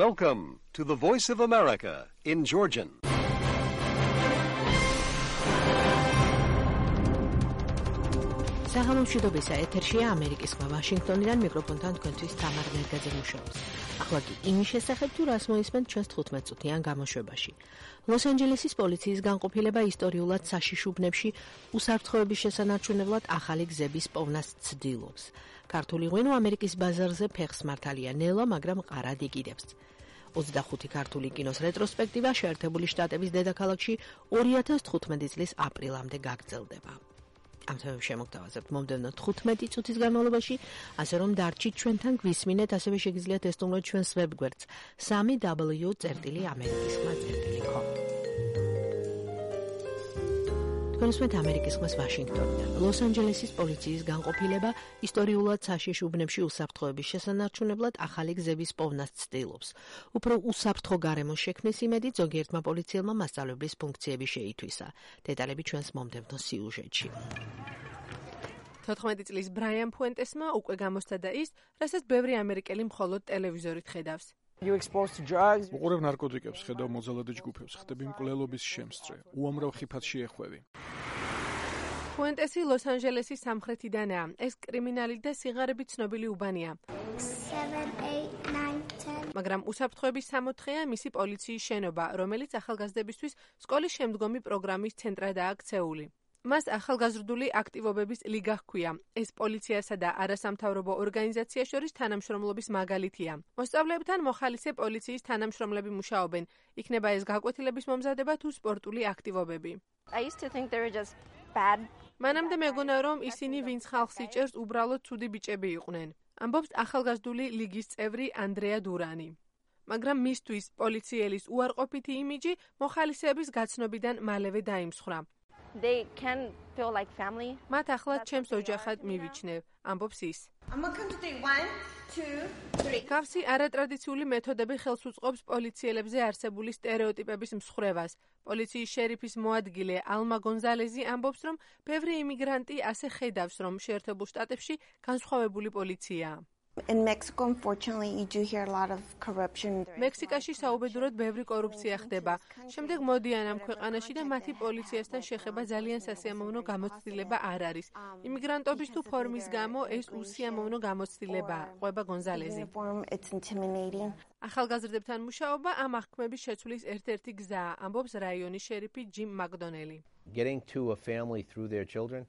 Welcome to the Voice of America in Georgian. საღამომშვიდობისა ეთერშია ამერიკის ხმა ვაშინგტონიდან მიკროფონთან თქვენთვის თამარ მერგაძე მუშაობს. ახლა კი იმის შესახებ თუ რას მოისმენთ ჩვენს 15 წუთიან გამოშვებაში. ლოს-ანჯელესის პოლიციის განყოფილება ისტორიულად საშიში უბნებში უსაფრთხოების შესანარჩუნებლად ახალი გზების პოვნას ცდილობს. ქართული ღვინო ამერიკის ბაზარზე ფეხს მართალია ნელა, მაგრამ ყარად იკიდებს. 25 ქართული კინოს რეტროსპექტივა შეერთებული შტატების დედაქალაქში 2015 წლის აპრილამდე გაგრძელდება. ამ თემებს შემოგთავაზებთ მომდევნო 15 წუთის განმავლობაში, ასე რომ დარჩით ჩვენთან გვისმინეთ, ასევე შეგიძლიათ ესტუმროთ ჩვენს ვებგვერდს www.amerikiskhma.com. თქვენსმეთ ამერიკის ხმას ვაშინგტონიდან. ლოს-ანჯელესის პოლიციის განყოფილება ისტორიულად საშიში უბნებში უსაფრთხოების შესანარჩუნებლად ახალი გზების პოვნას ცდილობს. უფრო უსაფრთხო გარემოს შექმნის იმედით ზოგიერთმა პოლიციელმა მასწავლებლის ფუნქციები შეითვისა. დეტალები ჩვენს მომდევნო სიუჟეტში. 14 წლის ბრაიან ფუენტესმა უკვე გამოსცადა ის, რასაც ბევრი ამერიკელი მხოლოდ ტელევიზორით ხედავს. უყურებ ნარკოტიკებს, ხედავ მოძალადე ჯგუფებს, ხდები მკვლელობის შემსწრე, უამრავ ხიფათს შეეხვევი. ფუენტესი ლოს-ანჯელესის სამხრეთიდანაა. ეს კრიმინალი და სიღარებით ცნობილი უბანია. 7, 8, 9, 10. მაგრამ უსაფრთხოების სამოთხეა მისი პოლიციის შენობა, რომელიც ახალგაზრდებისთვის სკოლის შემდგომი პროგრამის ცენტრადაა ქცეული. მას ახალგაზრდული აქტივობების ლიგა ჰქვია. ეს პოლიციასა და არასამთავრობო ორგანიზაციას შორის თანამშრომლობის მაგალითია. მოსწავლეებთან მოხალისე პოლიციის თანამშრომლები მუშაობენ. იქნება ეს გაკვეთილების მომზადება თუ სპორტული აქტივობები. მანამდე მეგონა, რომ ისინი ვინც ხალხს იჭერს, უბრალოდ ცუდი ბიჭები იყვნენ. ამბობს ახალგაზრდული ლიგის წევრი ანდრეა დურანი. მაგრამ მისთვის პოლიციელის უარყოფითი იმიჯი მოხალისეების გაცნობიდან მალევე დაიმსხვრა. They can feel like family. მათ ახლად ჩემს ოჯახად მივიჩნევ, ამბობს ის. I'm going to count to 3. 1, 2, 3. გავსი არატრადიციული მეთოდები ხელს უწყობს პოლიციელებზე არსებული სტერეოტიპების მსხვერპლს. პოლიციის შერიფის მოადგილე ალმა გონზალეზი ამბობს, რომ ბევრი იმიგრანტი ასე ხედავს, რომ შეერთებულ შტატებში განსხვავებული პოლიციაა. In Mexico, unfortunately, you do hear a lot of corruption. მექსიკაში საუბედუროდ ბევრი კორუფცია ხდება. შემდეგ მოდიან ამ ქვეყანაში და მათი პოლიციასთან შეხება ძალიან სასიამოვნო გამოცდილება არ არის. იმიგრანტობის თუ ფორმის გამო ეს უსიამოვნო გამოცდილებაა, ყვება გონზალეზი. ახალგაზრდებთან მუშაობა ამ აღქმების შეცვლის ერთ-ერთი გზაა, ამბობს რაიონის შერიფი ჯიმ მაკდონელი. Getting to a family through their children.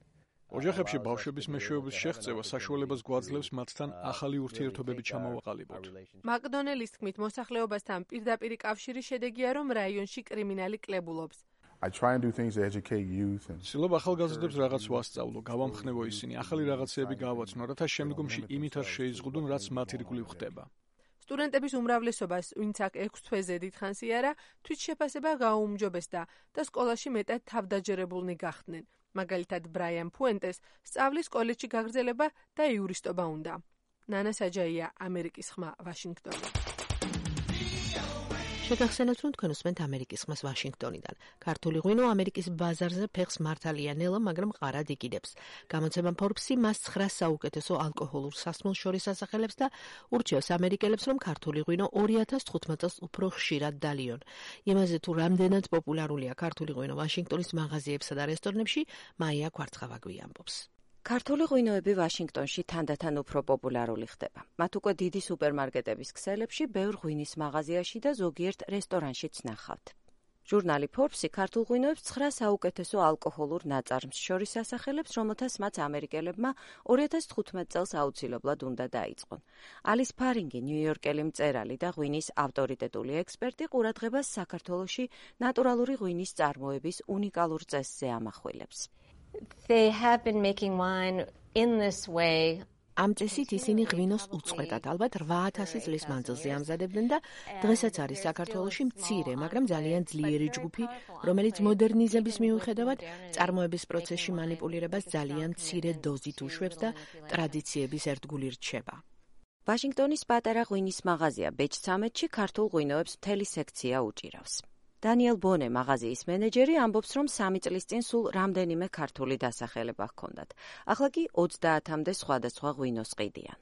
ოჯახებში ბავშვების მეშვეობის შეღწევა საშუალებას გვაძლევს მათთან ახალი ურთიერთობები ჩამოვაყალიბოთ. მაკდონელის თქმით, მოსახლეობასთან პირდაპირი კავშირის შედეგია, რომ რაიონში კრიმინალი კლებულობს. I try and do things to educate youth and ცდილობ ახალგაზრდებს რაღაც ვასწავლო, გავამხნევო ისინი, ახალი რაღაცეები გავაცნო, რათა შემდგომში იმით არ შეიზღუდონ, რაც მათ ირგვლივ ხდება. სტუდენტების უმრავლესობას, ვინც აქ 6 თვეზე დიდხანს იარა, თვითშეფასება გააუმჯობესდა და სკოლაში მეტად თავდაჯერებულნი გახდნენ. მაგალითად ბრაიან ფუენტეს სწავლის კოლეჯში გაგრძელება და იურისტობა უნდა. ნანა საჯაია, ამერიკის ხმა, ვაშინგტონი. შეგახსენებთ, რომ თქვენ უსმენთ ამერიკის ხმას ვაშინგტონიდან. ქართული ღვინო ამერიკის ბაზარზე ფეხს მართალია ნელა, მაგრამ ყარად იკიდებს. გამოცემა Forbes-ი მას 9 საუკეთესო ალკოჰოლურ სასმელს შორის ასახელებს და ურჩევს ამერიკელებს, რომ ქართული ღვინო 2015 წელს უფრო ხშირად დალიონ. იმაზე თუ რამდენად პოპულარულია ქართული ღვინო ვაშინგტონის მაღაზიებსა და რესტორნებში, მაია კვარცხავაგვი ამბობს. ქართული ღვინოები ვაშინგტონში თანდათან უფრო პოპულარული ხდება. მათ უკვე დიდი სუპერმარკეტების ქსელებში, ბევრ ღვინის მაღაზიაში და ზოგიერთ რესტორანშიც ნახავთ. ჟურნალი Forbes-ი ქართულ ღვინოებს 9 საუკეთესო ალკოჰოლურ ნაწარმს შორის ასახელებს, რომელთაც მათ ამერიკელებმა 2015 წელს აუცილებლად უნდა დაიწყონ. ალის ფარინგი, ნიუ-იორკელი მწერალი და ღვინის ავტორიტეტული ექსპერტი ყურადღებას საქართველოში ნატურალური ღვინის წარმოების უნიკალურ წესზე ამახვილებს. They have been making wine in this way. ამ წესით ისინი ღვინოს უწყვეტად, ალბათ 8000 წლის მანძილზე ამზადებდნენ და დღესაც არის საქართველოში მცირე, მაგრამ ძალიან ძლიერი ჯგუფი, რომელიც მოდერნიზების მიუხედავად წარმოების პროცესში მანიპულირებას ძალიან მცირე დოზით უშვებს და ტრადიციების ერთგული რჩება. ვაშინგტონის პატარა ღვინის მაღაზია ბეჭ-13-ში ქართულ ღვინოებს მთელი სექცია უჭირავს. დანიელ ბონე, მაღაზიის მენეჯერი, ამბობს, რომ 3 წლის წინ სულ რამდენიმე ქართული დასახელება ჰქონდათ. ახლა კი 30-მდე სხვადასხვა ღვინოს ყიდიან.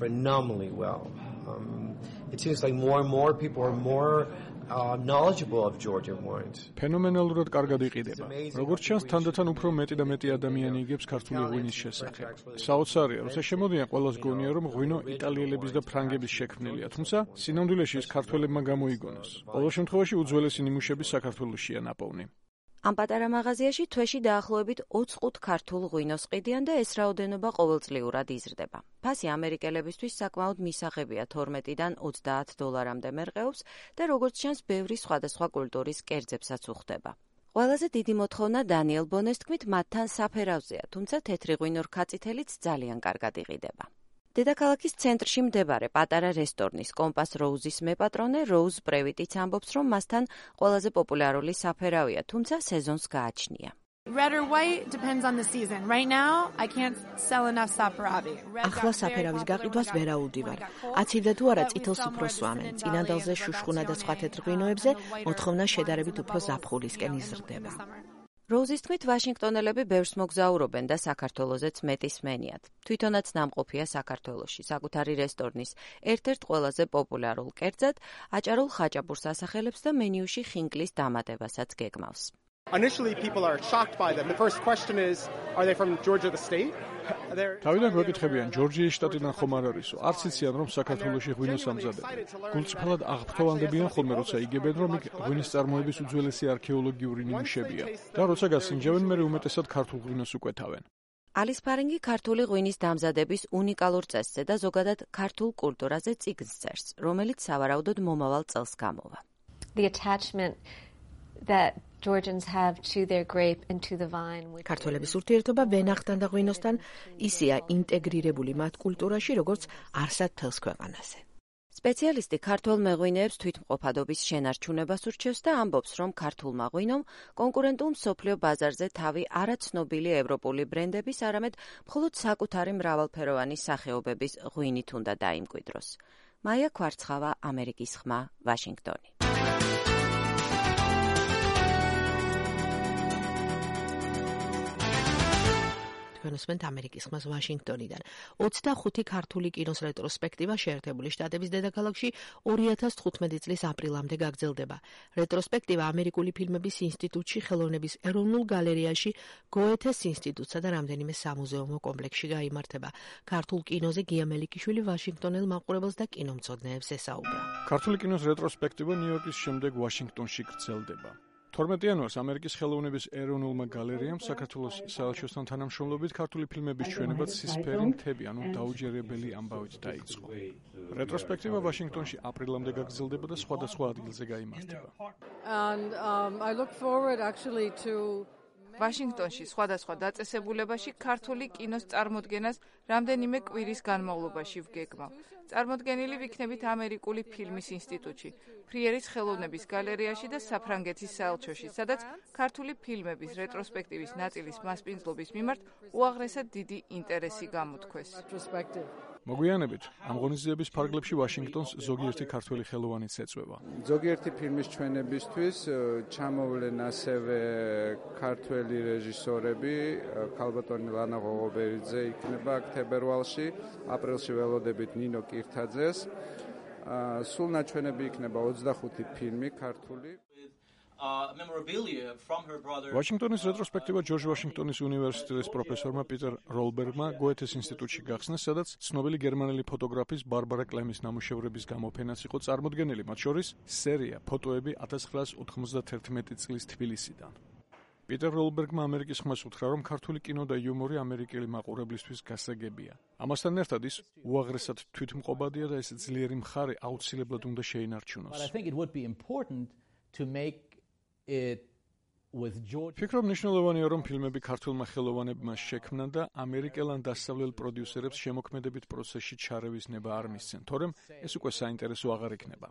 Phenomenally well. it seems like more and more people are more knowledgeable of Georgian wines. ფენომენალურად კარგად იყიდება. როგორც ჩანს, თანდათან უფრო მეტი და მეტი ადამიანი იგებს ქართული ღვინის შესახებ. საოცარია, როცა შემოდიან ყველას გონია, რომ ღვინო იტალიელების და ფრანგების შექმნილია, თუმცა სინამდვილეში ის ქართველებმა გამოიგონოს. ყოველ შემთხვევაში უძველესი ნიმუშები საქართველოშია ნაპოვნი. ამ პატარა მაღაზიაში თვეში დაახლოებით 25 ქართულ ღვინოს ყიდიან და ეს რაოდენობა ყოველწლიურად იზრდება. ფასი ამერიკელებისთვის საკმაოდ მისაღებია 12-დან $30-მდე მერყეობს და როგორც ჩანს, ბევრი სხვადასხვა კულტურის კერძებსაც უხდება. ყველაზე დიდი მოთხოვნა დანიელ ბონეს თქმით მათთან საფერავზეა, თუმცა თეთრი ღვინო რქაწითელიც ძალიან კარგად იყიდება. დედაქალაქის ცენტრში მდებარე პატარა რესტორნის კომპას როუზის მეპატრონე როუზ პრევიტიც ამბობს, რომ მასთან ყველაზე პოპულარული საფერავია, თუმცა სეზონს გააჩნია. Red or white depends on the season. Right now, I can't sell enough saperavi. ახლა საფერავის გაყიდვას ვერაუდივარ. აცივდა თუ არა წითელს უფრო სვამენ. წინანდალზე შუშხუნა და სხვა თეთრ ღვინოებზე მოთხოვნა შედარებით უფრო ზაფხულისკენ იზრდება. როუზის თქმით, ვაშინგტონელები ბევრს მოგზაურობენ და საქართველოზეც მეტი სმენიათ. თვითონაც ნამყოფია საქართველოში, საკუთარი რესტორნის ერთ-ერთ ყველაზე პოპულარულ კერძად, აჭარულ ხაჭაპურს ასახელებს და მენიუში ხინკლის დამატებასაც გეგმავს. Initially, people are shocked by them. The first question is, are they from Georgia, the state? თავიდან გვეკითხებიან, ჯორჯიის შტატიდან ხომ არ არისო? არც იციან, რომ საქართველოში ღვინოს ამზადებენ. გულწრფელად აღფრთოვანდებიან ხოლმე, როცა იგებენ, რომ იქ ღვინის წარმოების უძველესი არქეოლოგიური ნიმუშებია. და როცა გასინჯავენ, მერე უმეტესად ქართულ ღვინოს უკვეთავენ. ალის ფარინგი ქართული ღვინის დამზადების უნიკალურ წესზე და ზოგადად ქართულ კულტურაზე წიგნს წერს, რომელიც სავარაუდოდ მომავალ წელს გამოვა. The attachment that Georgians have to their grape and to the vine. ქართველების ურთიერთობა ვენახთან და ღვინოსთან ისეა ინტეგრირებული მათ კულტურაში, როგორც არსად მთელს ქვეყანაზე. სპეციალისტი ქართულ მეღვინეებს თვითმყოფადობის შენარჩუნებას ურჩევს და ამბობს, რომ ქართულმა ღვინომ კონკურენტულ მსოფლიო ბაზარზე თავი არაცნობილი ევროპული ბრენდების, არამედ მხოლოდ საკუთარი მრავალფეროვანი სახეობების ღვინით უნდა დაიმკვიდროს. მაია კვარცხავა, ამერიკის ხმა, ვაშინგტონი. განსვენთ ამერიკის ხმას ვაშინგტონიდან. 25 ქართული კინოს რეტროსპექტივა შეერთებული შტატების დედაქალაქში 2015 წლის აპრილამდე გაგრძელდება. რეტროსპექტივა ამერიკული ფილმების ინსტიტუტში, ხელოვნების ეროვნულ გალერეაში, გოეთეს ინსტიტუტსა და რამდენიმე სამუზეუმო კომპლექსში გაიმართება. ქართულ კინოზე გია მელიქიშვილი ვაშინგტონელ მაყურებელს და კინომცოდნეებს ესაუბრა. ქართული კინოს რეტროსპექტივა ნიუ-იორკის შემდეგ ვაშინგტონში გრძელდება. 12 იანვარს ამერიკის ხელოვნების ეროვნულმა გალერეამ საქართველოს საელჩოსთან თანამშრომლობით ქართული ფილმების ჩვენებად სისფერი მთები, ანუ დაუჯერებელი ამბავით დაიწყო. რეტროსპექტივა ვაშინგტონში აპრილამდე გაგრძელდება და სხვადასხვა ადგილზე გაიმართება. ვაშინგტონში სხვადასხვა დაწესებულებაში ქართული კინოს წარმოდგენას რამდენიმე კვირის განმავლობაში ვგეგმავ. წარმოდგენილი ვიქნებით ამერიკული ფილმის ინსტიტუტში, ფრიერის ხელოვნების გალერეაში და საფრანგეთის საელჩოში, სადაც ქართული ფილმების რეტროსპექტივის ნაწილის მასპინძლობის მიმართ უაღრესად დიდი ინტერესი გამოთქვეს. მოგვიანებით, ამ ღონისძიების ფარგლებში ვაშინგტონს ზოგიერთი ქართველი ხელოვანიც ეწვევა. ზოგიერთი ფილმის ჩვენებისთვის ჩამოვლენ ასევე ქართველი რეჟისორები, ქალბატონი ლანა ღოღობერიძე იქნება აქ თებერვალში, აპრილში ველოდებით ნინო კირთაძეს. სულ ნაჩვენები იქნება 25 ფილმი ქართული. ვაშინგტონის რეტროსპექტივა ჯორჯ ვაშინგტონის უნივერსიტეტის პროფესორმა პიტერ როლბერგმა გოეთეს ინსტიტუტში გახსნეს, სადაც ცნობილი გერმანელი ფოტოგრაფის ბარბარა კლემის ნამუშევრების გამოფენაც იყო წარმოდგენილი, მათ შორის სერია ფოტოები 1991 წლის თბილისიდან. პიტერ როლბერგმა ამერიკის ხმას უთხრა, რომ ქართული კინო და იუმორი ამერიკელი მაყურებლისთვის გასაგებია. ამასთან ერთად ის უაღრესად თვითმყოფადია და ეს ძლიერი მხარე აუცილებლად უნდა შეინარჩუნოს. ფიქრობ მნიშვნელოვანია, რომ ფილმები ქართულმა ხელოვანებმა შექმნან და ამერიკელან დასავლელ პროდიუსერებს შემოქმედებით პროცესში ჩარევის ნება არ მისცენ, თორემ ეს უკვე საინტერესო აღარ იქნება.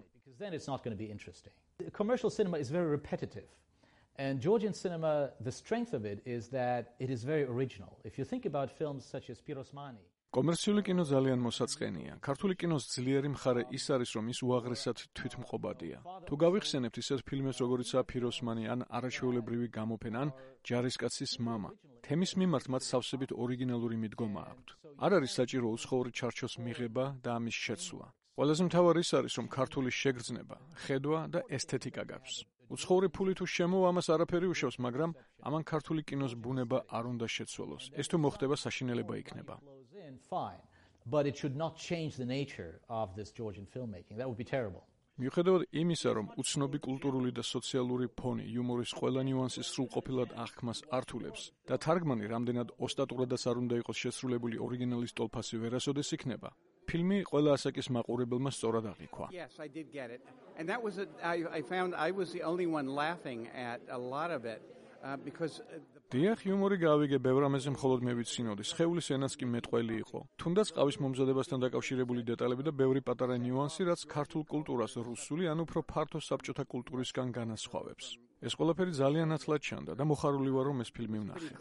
And Georgian cinema, the strength of it is that it is very original. If you think about films such as Pirosmani. კომერციული კინო ძალიან მოსაწყენია. ქართული კინოს ძლიერი მხარე ის არის, რომ ის უაღრესად თვითმყოფადია. თუ გავიხსენებთ ისეთ ფილმებს, როგორიცაა ფიროსმანი ან არაჩვეულებრივი გამოფენა ან ჯარისკაცის მამა, თემის მიმართ მათ სავსებით ორიგინალური მიდგომა აქვთ. არ არის საჭირო უცხოური ჩარჩოს მიღება და ამის შეცვლა. ყველაზე მთავარი ის არის, რომ ქართული შეგრძნება, ხედვა და ესთეტიკა გაქვს. უცხოური ფული თუ შემოვა, ამას არაფერი უშავს, მაგრამ ამან ქართული კინოს ბუნება არ უნდა შეცვალოს. ეს თუ მოხდება, საშინელება იქნება. But it should not change the nature of this Georgian filmmaking. That would be terrible. მიუხედავად იმისა, რომ უცნობი კულტურული და სოციალური ფონი იუმორის ყველა ნიუანსის სრულყოფილად აღქმას ართულებს და თარგმანი რამდენად ოსტატურადაც არ უნდა იყოს შესრულებული ორიგინალის ტოლფასი ვერასოდეს იქნება, ფილმი ყველა ასაკის მაყურებელმა სწორად აღიქვა. Yes, I did get it. And that was I found I was the only one laughing at a lot of it. Because დიახ, იუმორი გავიგე, ბევრ ამაზე მხოლოდ მე ვიცინოდი. სხეულის ენაც კი მეტყველი იყო. თუნდაც ყავის მომზადებასთან დაკავშირებული დეტალები და ბევრი პატარა ნიუანსი, რაც ქართულ კულტურას რუსული, ან უფრო ფართო საბჭოთა კულტურისგან განასხვავებს. ეს ყველაფერი ძალიან ათლად ჩანდა და მოხარული ვარ, რომ ეს ფილმი ვნახე.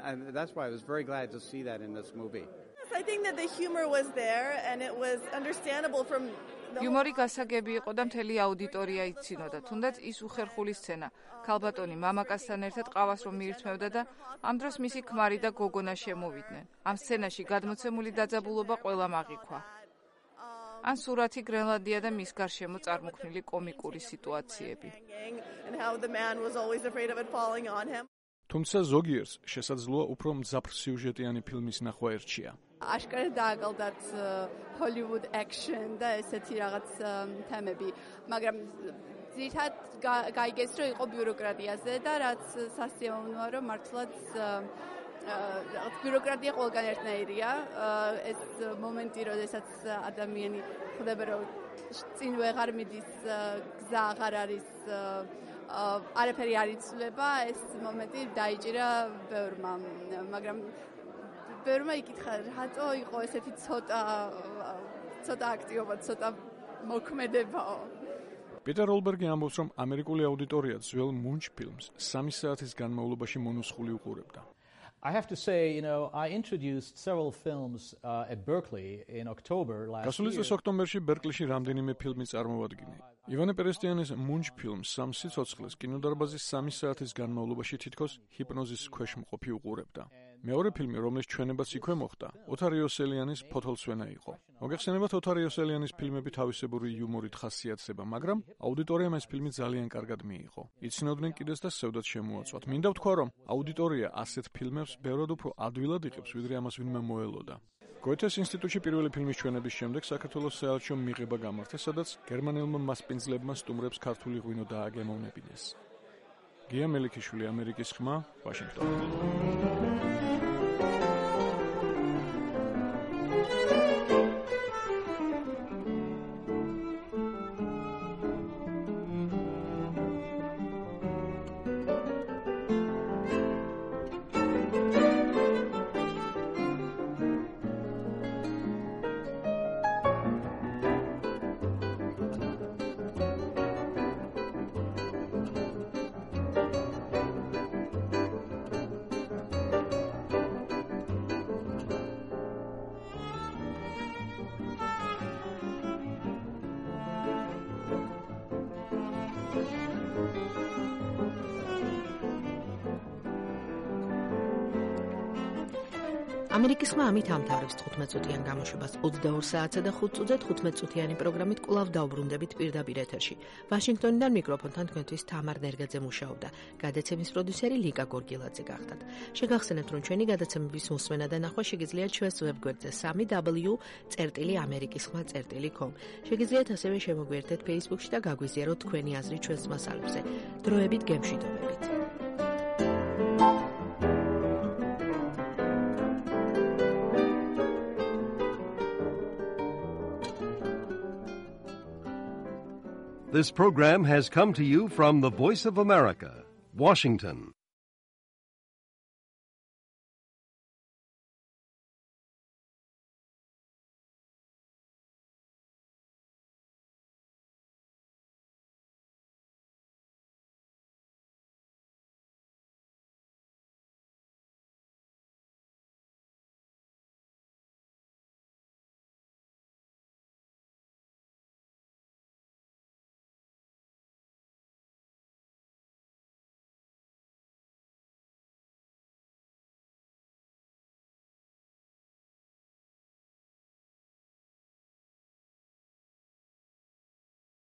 And that's why I was very glad to see that in this movie. I think that the humor was there and it was understandable from იუმორი გასაგები იყო და მთელი აუდიტორია იცინოდა. თუნდაც ის უხერხული სცენა. ქალბატონი მამაკაცთან ერთად ყავას რომ მიირთმევდა და ამ დროს მისი ქმარი და გოგონა შემოვიდნენ. ამ სცენაში გადმოცემული დაძაბულობა ყველამ აღიქვა. ან სურათი გრენლანდია და მის გარშემო წარმოქმნილი კომიკური სიტუაციები. თუმცა ზოგიერთს შესაძლოა უფრო მძაფრ სიუჟეტიანი ფილმის ნახვა ერჩია. აშკარად დააგალდათ Hollywood action და ესეთი რაღაც თემები, მაგრამ ძირითადად გაიგეს რომ იყო ბიუროკრატიაზე და რაც სასიამოვნოა რომ მართლაც რაღაც ბიუროკრატია ყველგან ერთნაირია. ეს მომენტი, როდესაც ადამიანი ხვდება რომ წინ ვეღარ მიდის, გზა აღარ არის, არაფერი არ იცვლება, ეს მომენტი დაიჭირა ბევრმა, მაგრამ ბევრმა იკითხა, რატო იყო ესეთი ცოტა აქტიობა, ცოტა მოქმედებაო. პიტერ როლბერგი ამბობს, რომ ამერიკული აუდიტორია ძველ მუნჯ ფილმს 3 საათის განმავლობაში მონუსხული უყურებდა. I have to say, I introduced several films at Berkeley in October last year. გასული წლის ოქტომბერში ბერკლიში რამდენიმე ფილმი წარმოვადგინე. ივანე პერესტიანის მუნჯ ფილმს 3 სიცოცხლეს კინოდარბაზის 3 საათის განმავლობაში თითქოს ჰიპნოზის ქვეშ მყოფი უყურებდა. მეორე ფილმი, რომლის ჩვენებაც იქვე მოხდა, ოთარ იოსელიანის ფოთოლცვენა იყო. მოგეხსენებათ, ოთარ იოსელიანის ფილმები თავისებური იუმორით ხასიათდება, მაგრამ აუდიტორიამ ეს ფილმი ძალიან კარგად მიიღო. იცნობდნენ კიდეც და სევდად შემოაწვათ. მინდა ვთქვა, რომ აუდიტორია ასეთ ფილმებს ბევრად უფრო ადვილად იღებს, ვიდრე ამას ვინმე მოელოდა. გოეთეს ინსტიტუტში პირველი ფილმის ჩვენების შემდეგ საქართველოს საელჩო მიღება გამართა, სადაც გერმანელმა მასპინძლებმა სტუმრებს ქართული ღვინო დააგემოვნებინეს. გია მელიქიშვილი, ამერიკის ხმა, ვაშინგტონი. ამერიკის ხმა ამით ამთავრებს 15 წუთიან გამოშვებას. 22 საათსა და 5 წუთზე 15 წუთიანი პროგრამით კვლავ დავბრუნდებით პირდაპირ ეთერში. ვაშინგტონიდან მიკროფონთან თქვენთვის თამარ ნერგაძე მუშაობდა. გადაცემის პროდიუსერი ლიკა გორგილაძე გახდათ. შეგახსენებთ, რომ ჩვენი გადაცემების მოსმენა და ნახვა შეგიძლიათ ჩვენს ვებგვერდზე www.amerikiskhma.com. შეგიძლიათ ასევე შემოგვიერთდეთ Facebook-ში და გაგვიზიაროთ თქვენი აზრი ჩვენს მასალებზე. დროებით გემშვიდობებით. This program has come to you from the Voice of America, Washington.